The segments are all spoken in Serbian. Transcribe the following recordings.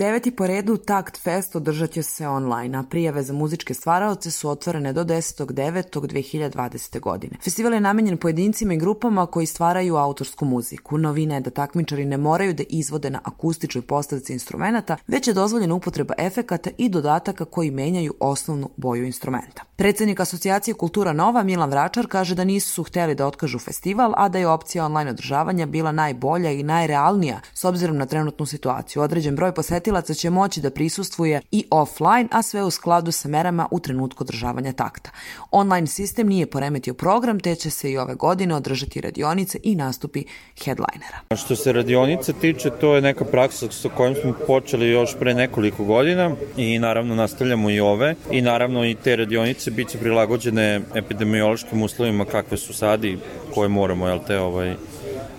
9. po redu Takt Fest održat će se online, a prijave za muzičke stvaraoce su otvorene do 10.9.2020. godine. Festival je namenjen pojedincima i grupama koji stvaraju autorsku muziku. Novina je da takmičari ne moraju da izvode na akustičnoj postavci instrumenta, već je dozvoljena upotreba efekata i dodataka koji menjaju osnovnu boju instrumenta. Predsednik Asocijacije Kultura Nova Milan Vračar kaže da nisu hteli da otkažu festival, a da je opcija online održavanja bila najbolja i najrealnija s obzirom na trenutnu situaciju. Određen broj posetilaca će moći da prisustvuje i offline, a sve u skladu sa merama u trenutku održavanja takta. Online sistem nije poremetio program, te će se i ove godine održati radionice i nastupi headlinera. Što se radionice tiče, to je neka praksa sa kojom smo počeli još pre nekoliko godina i naravno nastavljamo i ove i naravno i te radionice biće prilagođene epidemiološkim uslovima kakve su sad i koje moramo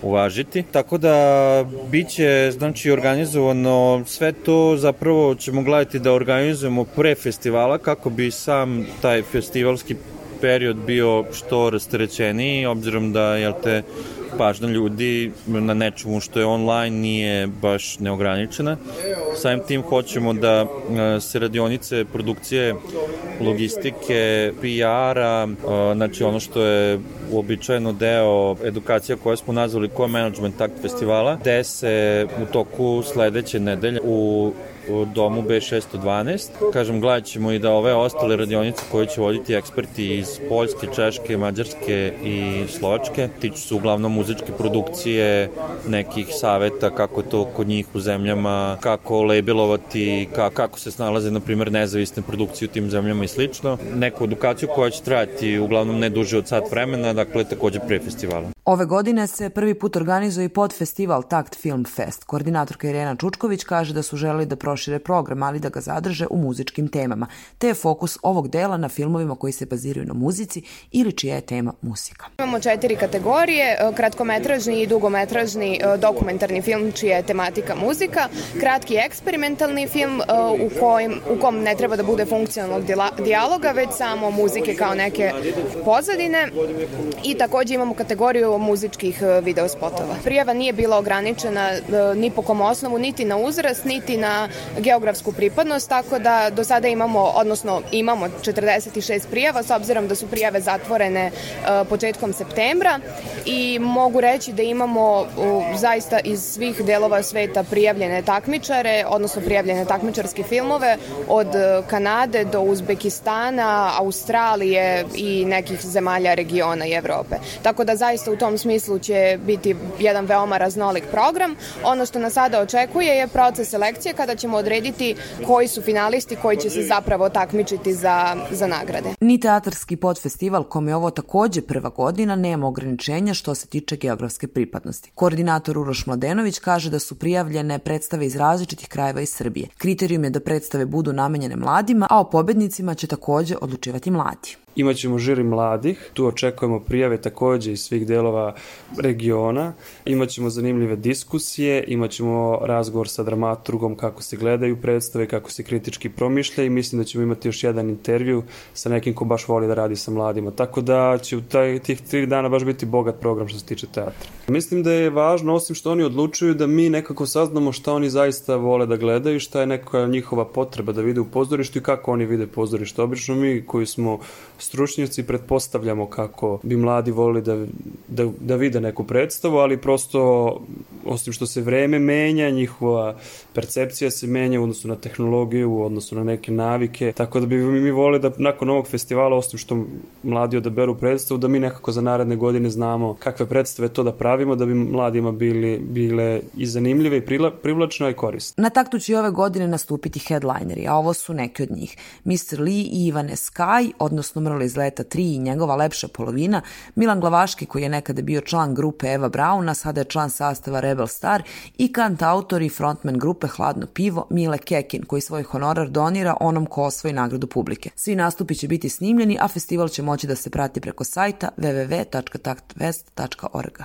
uvažiti. Tako da biće organizovano sve to, zapravo ćemo gledati da organizujemo pre festivala kako bi sam taj festivalski period bio što rasterećeniji, obzirom da pažnja ljudi na nečemu što je online nije baš neograničena. Samim tim hoćemo da se radionice, produkcije, logistike, PR-a, znači ono što je uobičajeno deo edukacija koje smo nazvali Co-Management Takt festivala, gde se u toku sledeće nedelje u domu B612. Kažem, gledat ćemo i da ove ostale radionice koje će voditi eksperti iz Poljske, Češke, Mađarske i Slovačke tiču se uglavnom muzičke produkcije, nekih saveta kako to kod njih u zemljama, kako labelovati, kako se snalaze, na primjer, nezavisne produkcije u tim zemljama i slično. Neku edukaciju koja će trajati uglavnom ne duže od sat vremena, dakle takođe pre festivala. Ove godine se prvi put organizuje i podfestival Takt Film Fest. Koordinatorka Irena Čučković kaže da su želeli da prošire program, ali da ga zadrže u muzičkim temama, te je fokus ovog dela na filmovima koji se baziraju na muzici ili čija je tema muzika. Imamo 4 kategorije, kratkometražni i dugometražni dokumentarni film čija je tematika muzika, kratki eksperimentalni film u kom ne treba da bude funkcionalnog dijaloga, već samo muzike kao neke pozadine, i takođe imamo kategoriju muzičkih videospotova. Prijava nije bila ograničena ni po kom osnovu, niti na uzrast, niti na geografsku pripadnost, tako da do sada imamo 46 prijava, s obzirom da su prijave zatvorene početkom septembra, i mogu reći da imamo zaista iz svih delova sveta prijavljene takmičare, odnosno prijavljene takmičarske filmove, od Kanade do Uzbekistana, Australije i nekih zemalja regiona i Evrope. Tako da zaista u tom smislu će biti jedan veoma raznolik program. Ono što nas sada očekuje je proces selekcije kada ćemo odrediti koji su finalisti koji će se zapravo takmičiti za nagrade. Ni teatarski podfestival, kome je ovo takođe prva godina, nema ograničenja što se tiče geografske pripadnosti. Koordinator Uroš Mladenović kaže da su prijavljene predstave iz različitih krajeva iz Srbije. Kriterijum je da predstave budu namenjene mladima, a o pobednicima će takođe odlučivati mladi. Imaćemo žiri mladih, tu očekujemo prijave takođe iz svih delova regiona, imaćemo zanimljive diskusije, imaćemo razgovor sa dramaturgom kako se gledaju predstave, kako se kritički promišlja, i mislim da ćemo imati još jedan intervju sa nekim ko baš voli da radi sa mladima. Tako da će u tih 3 dana baš biti bogat program što se tiče teatra. Mislim da je važno, osim što oni odlučuju, da mi nekako saznamo šta oni zaista vole da gledaju, šta je neka njihova potreba da vide u pozorištu i kako oni vide pozorište. Obično mi koji smo stručnjaci pretpostavljamo kako bi mladi volili da vide neku predstavu, ali prosto, osim što se vreme menja, njihova percepcija se menja u odnosu na tehnologiju, u odnosu na neke navike, tako da bi mi volili da nakon ovog festivala, osim što mladi odaberu predstavu, da mi nekako za naredne godine znamo kakve predstave to da pravimo, da bi mladima bile i zanimljive i privlačne i korisne. Na taktu će ove godine nastupiti headlineri, a ovo su neki od njih. Mr. Lee i Ivane Sky, odnosno Mrla iz Leta 3 i njegova lepša polovina, Milan Glavaški, koji je nekada bio član grupe Eva Brauna, sada je član sastava Rebel Star, i kantautor i frontman grupe Hladno pivo Mile Kekin, koji svoj honorar donira onom ko osvoji nagradu publike. Svi nastupi će biti snimljeni, a festival će moći da se prati preko sajta www.taktfest.org.